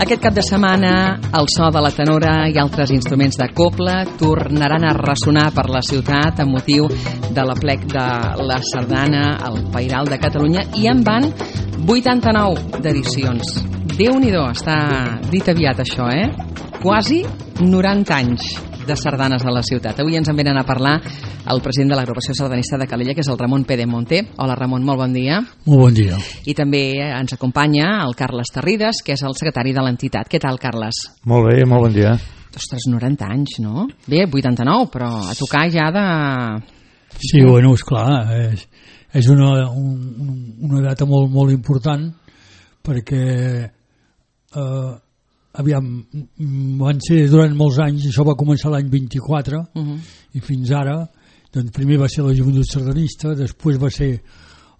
Aquest cap de setmana, el so de la tenora i altres instruments de cobla tornaran a ressonar per la ciutat amb motiu de l'aplec de la sardana al Pairal de Catalunya, i en van 89 d'edicions. Déu-n'hi-do, està dit aviat això, Quasi 90 anys de sardanes a la ciutat. Avui ens en venen a parlar el president de l'agrupació sardanista de Calella, que és el Ramon Pedemonte. Hola, Ramon, molt bon dia. Molt bon dia. I també ens acompanya el Carles Tarrides, que és el secretari de l'entitat. Què tal, Carles? Molt bé, molt bon dia. Ostres, 90 anys, no? Bé, 89, però a tocar ja de... Sí, bueno, esclar, és una data molt, molt important, perquè aviam, van ser durant molts anys, això va començar l'any 24 i fins ara, doncs primer va ser la joventut sardanista, després va ser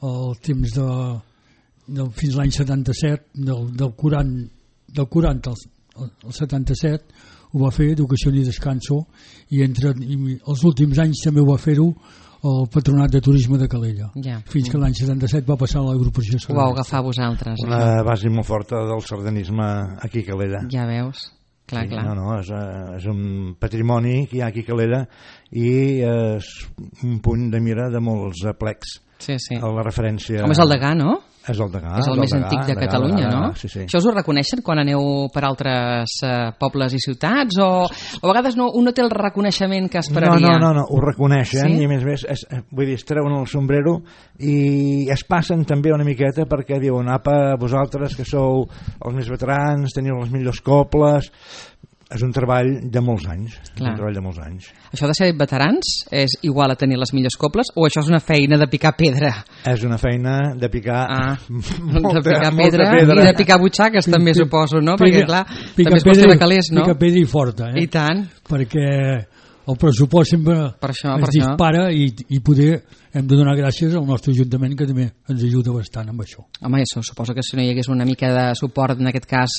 el temps fins l'any 77, del 40 al 77 ho va fer Educació i Descanso, i els últims anys també ho va fer-ho el Patronat de Turisme de Calella, fins que l'any 77 va passar a l'agrupació sardanista. Ho vau agafar vosaltres. Una base molt forta del sardanisme aquí a Calella. Ja veus, clar. No, és un patrimoni que hi ha aquí a Calella i és un punt de mira de molts aplecs. Sí. La referència... Com és el Degà, no? És el Degà. És el més antic de Catalunya, no? Sí. Això us ho reconeixen quan aneu per altres pobles i ciutats? O a vegades un no té el reconeixement que esperaria? No, ho reconeixen, sí? I a més, vull dir, es treuen el sombrero i es passen també una miqueta perquè diuen, apa, vosaltres que sou els més veterans, teniu les millors coples... És un treball de molts anys. Això de ser veterans és igual a tenir les millors coples, o això és una feina de picar pedra? És una feina de picar molta pedra i de picar butxaques també suposo, no? Perquè clar, també és qüestió de calés, no? Picar pedra i forta, I tant. Perquè el pressupost sempre es dispara i poder hem de donar gràcies al nostre Ajuntament, que també ens ajuda bastant amb això. Home, suposo que si no hi hagués una mica de suport, en aquest cas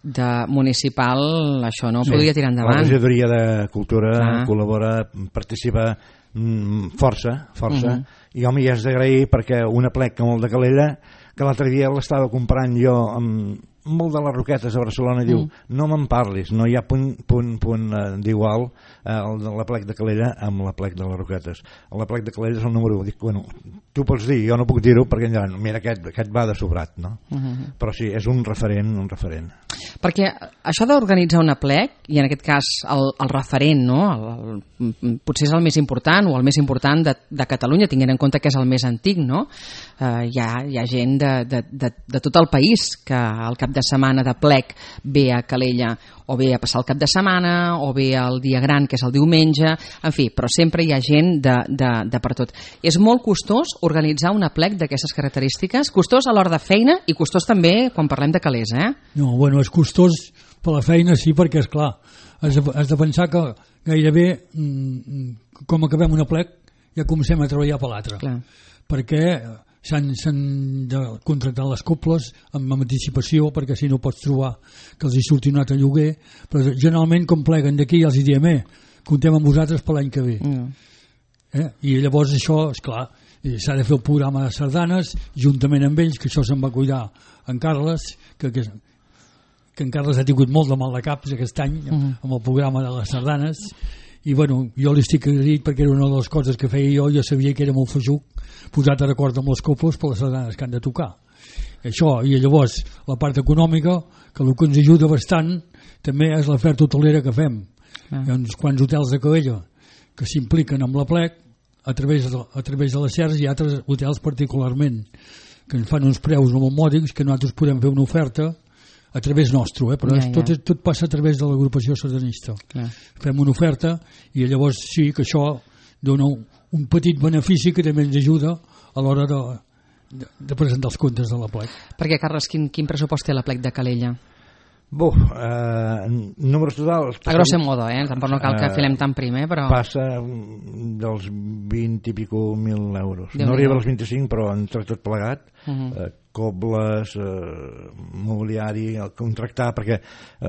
de municipal, això no podria tirar endavant. La regidoria de Cultura col·labora, participa força, i home, hi has d'agrair perquè un aplec com el de Calella, que l'altre dia l'estava comprant jo amb molt de les Roquetes a Barcelona, diu, no me'n parlis, no hi ha punt d'igual l'aplec de Calella amb l'aplec de les Roquetes. L'aplec de Calella és el número 1. Dic, bueno, tu pots dir, jo no puc dir-ho perquè mira, aquest va de sobrat, no? Però sí, és un referent. Perquè això d'organitzar un aplec, i en aquest cas el referent, no? Potser és el més important o el més important de Catalunya, tinguent en compte que és el més antic, no? Hi ha gent de tot el país que al cap de setmana de plec ve a Calella o ve a passar el cap de setmana o ve el dia gran, que és el diumenge, en fi, però sempre hi ha gent de per tot. És molt costós organitzar un aplec d'aquestes característiques, costós a l'hora de feina i costós també quan parlem de calés, No, bueno, és costós per la feina, sí, perquè és clar, has de pensar que gairebé com acabem un aplec ja comencem a treballar per l'altre, perquè s'han de contractar les coples amb anticipació, perquè si no pots trobar que els hi surti un altre lloguer, però generalment com pleguen d'aquí els hi diem, comptem amb vosaltres per l'any que ve. I llavors això, esclar, s'ha de fer el programa de sardanes juntament amb ells, que això se'n va cuidar en Carles, que en Carles ha tingut molt de mal de caps aquest any amb el programa de les sardanes, i bueno, jo li estic agraït perquè era una de les coses que feia jo sabia que era molt feixuc posat a d'acord amb les coples per les sardanes que han de tocar. Això, i llavors la part econòmica, que el que ens ajuda bastant també és l'oferta hotelera que fem. Hi ha uns quants hotels de Calella que s'impliquen amb l'aplec a través de les xers, i altres hotels particularment que ens fan uns preus molt mòdics, que nosaltres podem fer una oferta a través nostre, però tot passa a través de l'agrupació sardanista. Fem una oferta i llavors sí que això dona un petit benefici que també ens ajuda a l'hora de presentar els comptes de l'aplec. Perquè, Carles, quin pressupost té l'aplec de Calella? Números totals... A grosso modo, tampoc no cal que filem tan primer, però... Passa dels 20 i pico mil euros. No arriba als 25, però entre tot plegat cobles, mobiliari, contractar, perquè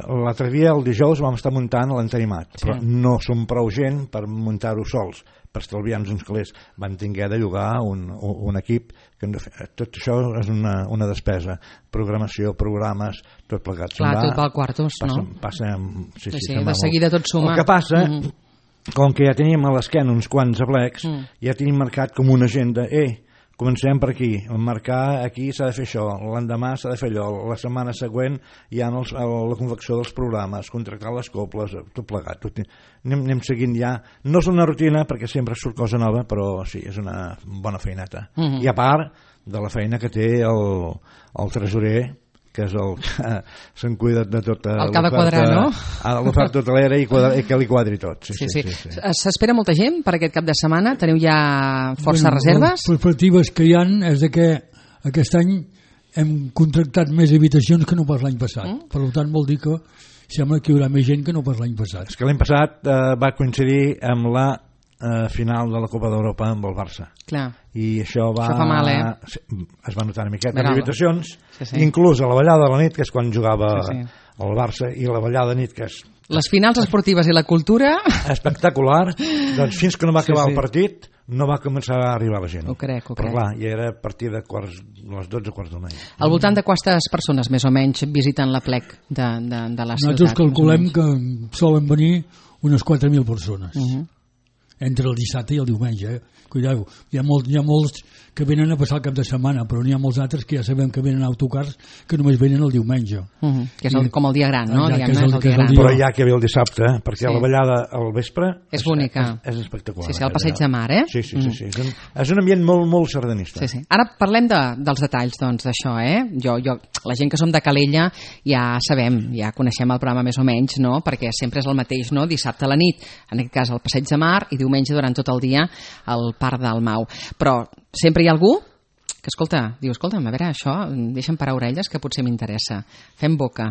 l'altre dia, el dijous, vam estar muntant l'entenimat, però no som prou gent per muntar-ho sols, per estalviar-nos uns calés. Vam tinguer de llogar un equip, que tot això és una despesa, programació, programes, tot plegat. Clar, tot va al quartos, no? Sí, de seguida tot suma. El que passa, com que ja teníem a l'esquena uns quants aplecs, ja tenim marcat com una agenda, comencem per aquí, marcar aquí s'ha de fer això, l'endemà s'ha de fer allò, la setmana següent hi ha la confecció dels programes, contractar les coples, tot plegat, anem seguint ja. No és una rutina perquè sempre surt cosa nova, però sí, és una bona feineta. I a part de la feina que té el tresorer, que és el que se'n cuida de tota el que ha de quadrar, no? L'oferta hotelera i que li quadri tot. Sí. S'espera molta gent per aquest cap de setmana? Teniu ja força reserves? Les perspectives que hi ha és que aquest any hem contractat més habitacions que no pas l'any passat. Per tant, vol dir que sembla que hi haurà més gent que no pas l'any passat. És que l'any passat va coincidir amb la final de la Copa d'Europa amb el Barça. Clar. I això fa mal, es va notar una miqueta en habitacions, inclús a la ballada de la nit, que és quan jugava el Barça, i la ballada de nit, que és les finals esportives i la cultura espectacular. Doncs fins que no va acabar el partit no va començar a arribar la gent. Ho crec. Però clar, ja era a partir de les 12 quarts d'una. Al voltant de quantes persones més o menys visiten la plec de la ciutat? Nosaltres calculem que solen venir unes 4.000 persones entre el dissabte i el diumenge. Cuideu, hi ha molts que venen a passar el cap de setmana, però n'hi ha molts altres que ja sabem que venen autocars que només venen el diumenge. Que és com el dia gran, no? Però ja que ve el dissabte, perquè la ballada al vespre és bonica. És espectacular. Sí, al Passeig de Mar, Sí. És un ambient molt sardanista. Sí. Ara parlem dels detalls, doncs, d'això, la gent que som de Calella ja sabem, ja coneixem el programa més o menys, no? Perquè sempre és el mateix, no? Dissabte a la nit, en aquest cas al Passeig de Mar, i diumenge durant tot el dia al Parc del Mau. Però sempre hi ha algú que diu, escolta'm, a veure, això, deixa'm parar orelles que potser m'interessa. Fem boca,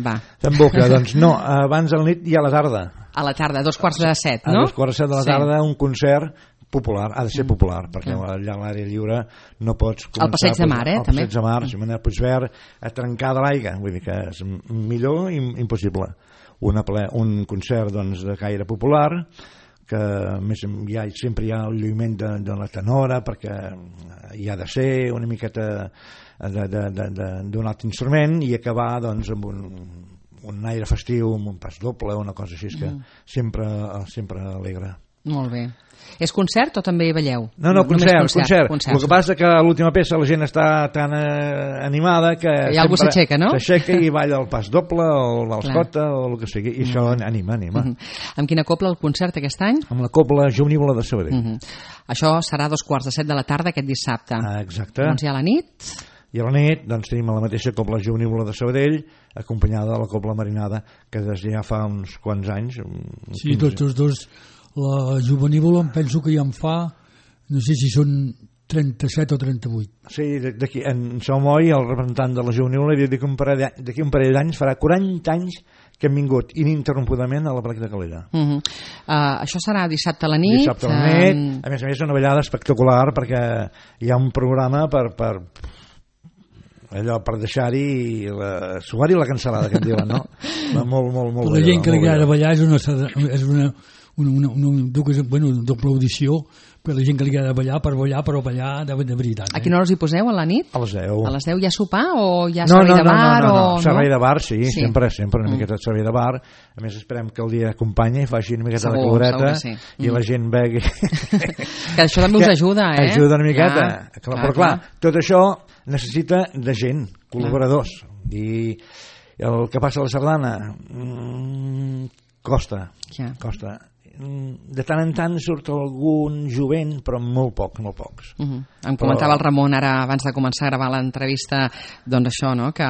va. Fem boca, doncs no, abans de la nit i a la tarda. A la tarda, 6:45, no? A 2:45 de la tarda, un concert popular, ha de ser popular, perquè allà a l'àrea lliure no pots començar... Al Passeig de Mar, també? Al Passeig de Mar, Ximena Puigverd, a trencar de l'aigua, vull dir que és millor i impossible. Un concert, doncs, de caire popular, que més sempre hi ha el lluïment de la tenora, perquè hi ha de ser una miqueta d'un altre instrument, i acabar doncs amb un aire festiu, amb un pas doble, una cosa així que sempre alegra. Molt bé. És concert o també balleu? No, concert. El que passa que a l'última peça la gent està tan animada que hi ha algú s'aixeca, no? S'aixeca i balla el pas doble o el valscota o el que sigui, i això anima. Amb quina cobla el concert aquest any? Amb la cobla Jovenívola de Sabadell. Això serà a 2:45 de la tarda aquest dissabte. Exacte. Doncs i a la nit? I a la nit doncs, tenim la mateixa cobla Jovenívola de Sabadell, acompanyada de la cobla Marinada, que des ja fa uns quants anys. Sí, tots els dos. La Jovenívola em penso que ja en fa, no sé si són 37 o 38. Sí, d'aquí, en Salmoi, el representant de la Jovenívola, havia dit que d'aquí un parell d'anys farà 40 anys que hem vingut ininterrompudament a la plec de Calella. Això serà dissabte a la nit? Dissabte a la nit, a més una ballada espectacular, perquè hi ha un programa per deixar-hi suar-hi la cancel·lada, que en diuen, no? Molt la gent que li agrada ballar és una doble audició per la gent que li agrada ballar, però ballar de veritat. A quina hora us hi poseu, a la nit? A les 10. A les 10 hi ha sopar o hi ha servei de bar? No, servei de bar, sí. Sempre una miqueta de servei de bar. A més esperem que el dia acompanyi i faci una miqueta de caloreta i la gent begui. Que això també us ajuda, Ajuda una miqueta. Però clar, tot això necessita de gent, col·laboradors. I el que passa a la sardana costa. De tant en tant surt algun jovent, però molt pocs. Em comentava el Ramon ara abans de començar a gravar l'entrevista, doncs això, no? Que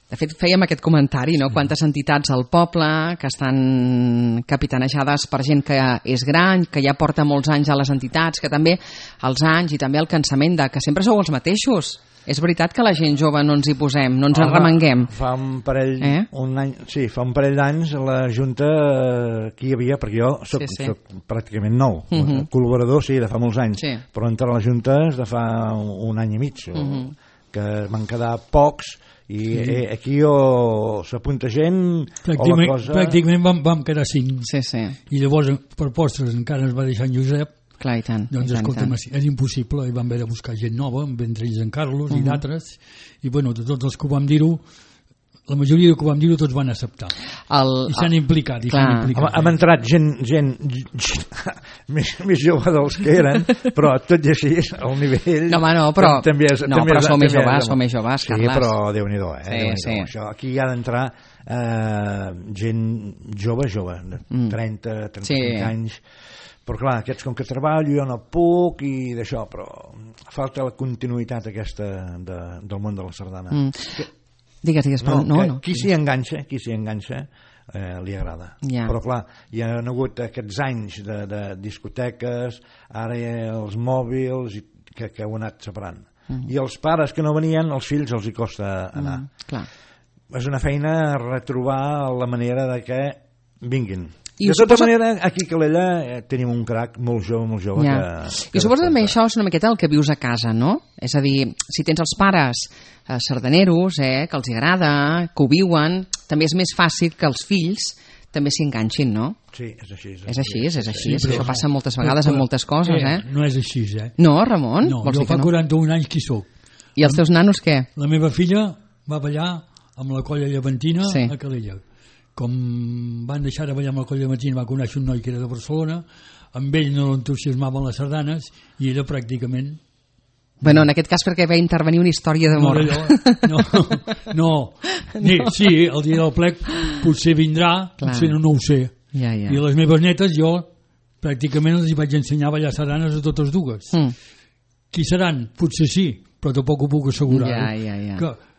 De fet, fèiem aquest comentari, no? Quantes entitats al poble que estan capitanejades per gent que és gran, que ja porta molts anys a les entitats, que també els anys i també el cansament de que sempre sou els mateixos. És veritat que la gent jove no ens hi posem, no ens arremanguem. Fa un parell d'anys a la Junta que hi havia, perquè jo soc pràcticament nou, col·laborador sí, de fa molts anys, però entrar a la Junta és de fa un any i mig, que van quedar pocs, i aquí o s'apunta gent o la cosa... Pràcticament vam quedar 5, i llavors per postres encara ens va deixar en Josep. Clar, i tant. Doncs escolta'm, és impossible, i vam haver de buscar gent nova, entre ells en Carlos i d'altres, i bueno, de tots els que ho vam dir-ho, la majoria que ho vam dir-ho tots van acceptar. I s'han implicat. Hem entrat gent més jove dels que eren, però tot i així, al nivell... No, però som més joves, Carles. Sí, però Déu-n'hi-do, Això, aquí hi ha d'entrar gent jove, de 30, 35 anys, però clar, aquests com que treballo jo no puc i d'això, però falta la continuïtat aquesta del món de la sardana. Digues, però no. Qui s'hi enganxa li agrada, però clar, hi ha hagut aquests anys de discoteques, ara els mòbils que ho han anat separant, i els pares que no venien, els fills els hi costa anar. És una feina retrobar la manera de que vinguin. De tota manera, aquí a Calella tenim un crac molt jove I suposo també això és una miqueta el que vius a casa, no? És a dir, si tens els pares sardaneros, que els agrada, que ho viuen, també és més fàcil que els fills també s'hi enganxin, no? Sí, és així. És així. Això passa moltes vegades amb moltes coses, No és així, No, Ramon? No, jo fa 41 anys que hi soc. I els teus nanos què? La meva filla va ballar amb la Colla Llevantina a Calella. Com van deixar de ballar amb la Colla Llevantina, va conèixer un noi que era de Barcelona, amb ell no l'entusiasmaven les sardanes i era pràcticament... Bueno, en aquest cas perquè va intervenir una història d'amor. No. Sí, el dia del plec potser vindrà, potser no ho sé. I les meves netes jo pràcticament els vaig ensenyar a ballar sardanes a totes dues. Qui seran? Potser sí, però tampoc ho puc assegurar.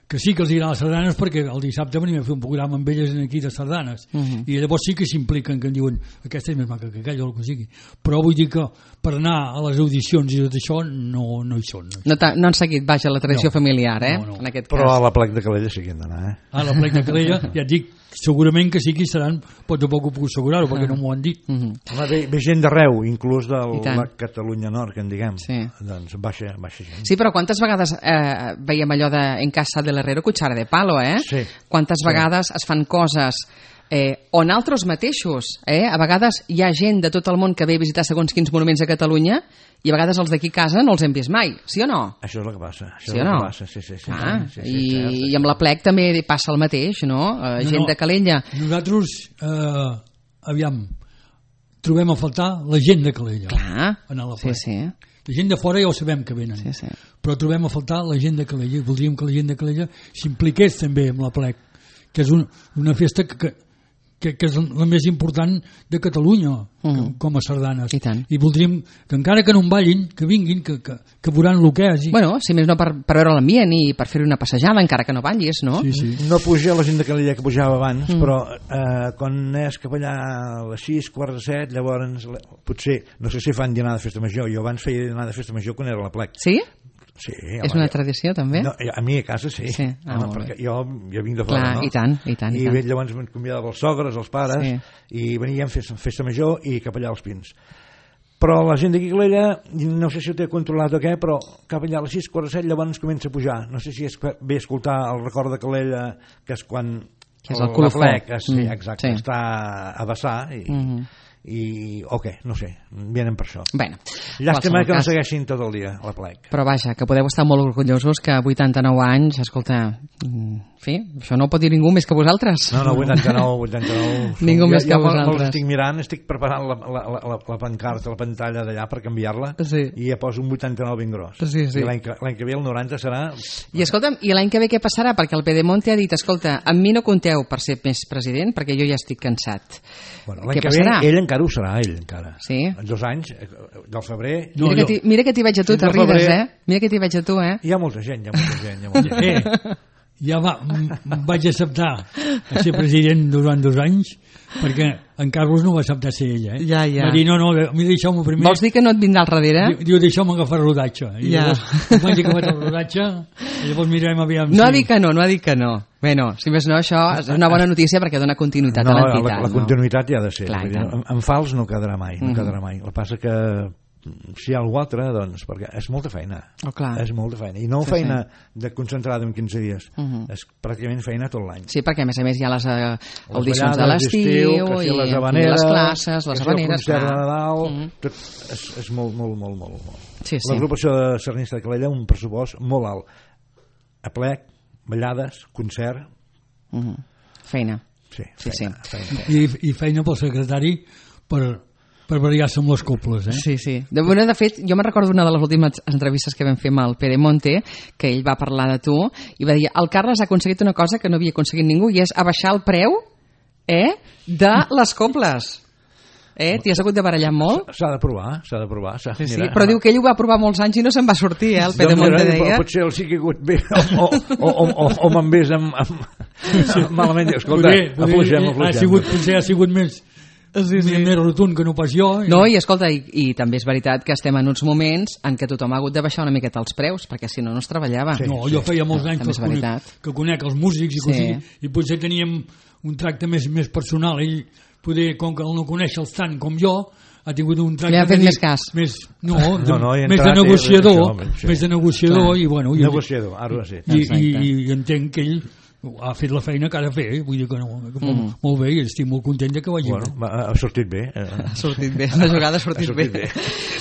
Que sí que els agraden les sardanes perquè el dissabte venim a fer un programa amb elles aquí de sardanes i llavors sí que s'impliquen, que em diuen aquesta és més maca que aquella o el que sigui, però vull dir que per anar a les audicions i tot això no hi són. No han seguit, vaja, la tradició familiar, en aquest cas. Però a la plec de Calella sí que han d'anar, A la plec de Calella, ja et dic, segurament que sí que hi seran, però tampoc ho puc assegurar-ho perquè no m'ho han dit. Ve gent d'arreu, inclús de la Catalunya Nord, que en diguem, doncs baixa gent. Sí, però quantes vegades veiem allò de en casa de l'Herrero cuchara de palo, Sí. Quantes vegades es fan coses o nosaltres mateixos, a vegades hi ha gent de tot el món que ve a visitar segons quins monuments a Catalunya i a vegades els d'aquí a casa no els hem vist mai, sí o no? Això és el que passa. Sí o no? Sí. I amb la plec també passa el mateix, no? Gent de Calella. Nosaltres, aviam, trobem a faltar la gent de Calella. Clar, a la plec. Sí. La gent de fora ja ho sabem que venen, però trobem a faltar la gent de Calella i voldríem que la gent de Calella s'impliqués també amb la plec, que és una festa que és la més important de Catalunya com a sardanes. I voldríem que encara que no en ballin, que vinguin, que veuran el que és. Bueno, si més no per veure l'ambient i per fer una passejada, encara que no ballis, no? Sí. No puja la gent de Calella que pujava abans, però quan és cap allà a les 6, quarts de 7, llavors potser, no sé si fan dinar de festa major, jo abans feia dinar de festa major quan era a la plec. Sí? Sí, és una tradició també? No, a mi a casa sí, perquè jo vinc de fora, no? I tant. I llavors em convidava els sogres, els pares, i veníem a festa major i cap allà als Pins. Però la gent d'aquí a Calella, no sé si ho té controlat o què, però cap allà a les 6, quarts de 7 llavors comença a pujar. No sé si és bé escoltar el record de Calella, que és quan el colofó. Exacte, està a vessar no sé, vienen per això. Llàstima que no segueixin tot el dia a la plec. Però vaja, que podeu estar molt orgullosos que 89 anys, escolta, en fi, això no ho pot dir ningú més que vosaltres. No, 89. Ningú més que vosaltres. Me'ls estic mirant, estic preparant la pancarta, la pantalla d'allà per canviar-la i ja poso un 89 ben gros. I l'any que ve el 90 serà... I escolta'm, i l'any que ve què passarà? Perquè el Pedemonte ha dit, escolta, amb mi no compteu per ser més president perquè jo ja estic cansat. L'any que ve ell encara ho serà, encara. Sí? 2 anys, del febrer... Mira que t'hi veig a tu, t'arrides, Mira que t'hi veig a tu, Hi ha molta gent, ja vaig acceptar a ser president durant 2 anys, perquè en Carlos no va acceptar ser ell, Ja. Va dir, no, a mi deixeu-me primer. Vols dir que no et vindrà al darrere? Diu, deixeu-me agafar el rodatge. I llavors, quan vaig acabar el rodatge, llavors mirarem aviam. No ha dit que no. Bueno, si més no, això és una bona notícia perquè dona continuïtat a l'entitat. La continuïtat hi ha de ser. Clar, en fals no quedarà mai, no quedarà mai. El que passa que si hi ha algú altre, doncs, perquè és molta feina. És molta feina. I no feina de concentrada en 15 dies. És pràcticament feina tot l'any. Sí, perquè a més hi ha les audicions de l'estiu, i les classes, les habaneres. El concert de Nadal, tot és molt. L'agrupació de Sardanista de Calella, un pressupost molt alt. Aplec, ballades, concert. Feina. Sí. I feina pel secretari per variar-se amb les coples, Sí. De fet, jo me'n recordo una de les últimes entrevistes que vam fer amb el Pedemonte, que ell va parlar de tu, i va dir, el Carles ha aconseguit una cosa que no havia aconseguit ningú, i és abaixar el preu de les coples. T'hi has hagut de barallar molt? S'ha de provar. Sí, però diu que ell ho va provar molts anys i no se'n va sortir, el Pedemonte deia. Potser el sí que ha hagut bé, o me'n vés malament. Escolta, afluixem. Ha sigut més rotund que no pas jo. No, i escolta, i també és veritat que estem en uns moments en què tothom ha hagut de baixar una miqueta els preus, perquè si no, no es treballava. Jo feia molts anys que conec els músics i potser teníem un tracte més personal. Ell, poder, com que no coneixes tant com jo, ha tingut un tracte... Li ha fet més cas. Més de negociador. Més de negociador i bueno... Negociador, ara sí. I entenc que ell ha fet la feina que ha de fer, vull dir que no, molt bé, i estic molt content que vagi bé. Ha sortit bé. Ha sortit bé, la jugada ha sortit bé.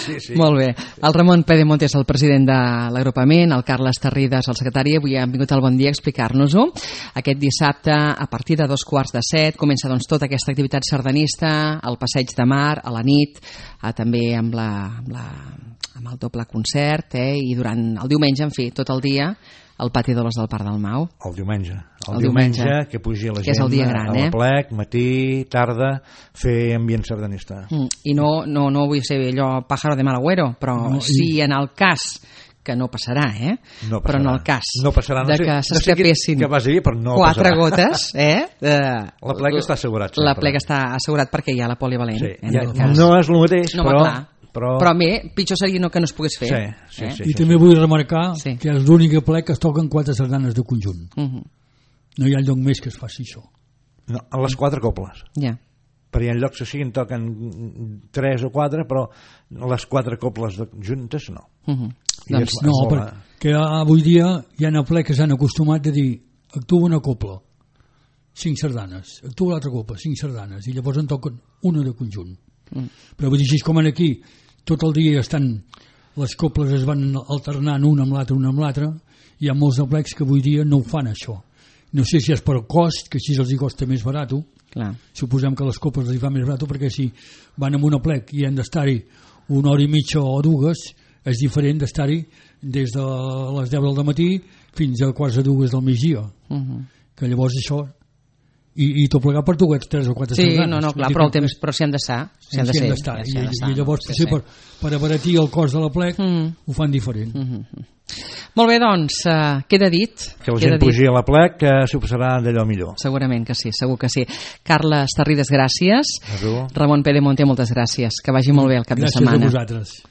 Sí. Molt bé. El Ramon Pedemonte és el president de l'agrupament, el Carles Tarridas, el secretari, avui han vingut al Bon Dia a explicar-nos-ho. Aquest dissabte, a partir de 2:45, comença doncs tota aquesta activitat sardanista, el passeig de mar, a la nit, també amb el doble concert, i durant el diumenge, en fi, tot el dia, al pati d'Oles del Parc del Mau. El diumenge, que pugi la gent, que és el dia gran, a l'aplec, matí, tarda, fer ambient sardanista. I no vull ser allò pájaro de mal agüero, però si en el cas que no passarà, però en el cas de que s'escapessin 4 gotes, l'aplec està assegurat. L'aplec està assegurat perquè hi ha la polivalent. No és el mateix, però a mi pitjor seria que no es pogués fer. I també vull remarcar que és l'únic aplec que es toquen 4 sardanes de conjunt. No hi ha lloc més que es faci això. No, a les 4 coples. Per hi ha llocs que siguin toquen 3 o 4, però les 4 coples juntes no. No, perquè avui dia hi ha aplec que s'han acostumat a dir actua una copla, 5 sardanes, actua l'altra copla, 5 sardanes, i llavors en toquen una de conjunt. Però vull dir, així com aquí tot el dia les coples es van alternant una amb l'altra, hi ha molts aplecs que avui dia no ho fan això. No sé si és per cost, que així els hi costa més barat. Suposem que les coples els hi fa més barat, perquè si van amb un aplec i han d'estar-hi 1 hora i mitja o 2, és diferent d'estar-hi des de les 10 del matí fins a 1:45 del migdia, que llavors això i tot plegat per 3 o 4 sardanes. Clar, però el temps s'hi han d'estar. I llavors per abaratir el cost de l'aplec ho fan diferent. Molt bé, doncs, queda dit. Que la gent pugi a l'aplec, que s'ho passarà d'allò millor. Segurament que sí, segur que sí. Carles Tarridas, gràcies. Ramon Pedemonte, moltes gràcies. Que vagi molt bé el cap de setmana. Gràcies a vosaltres.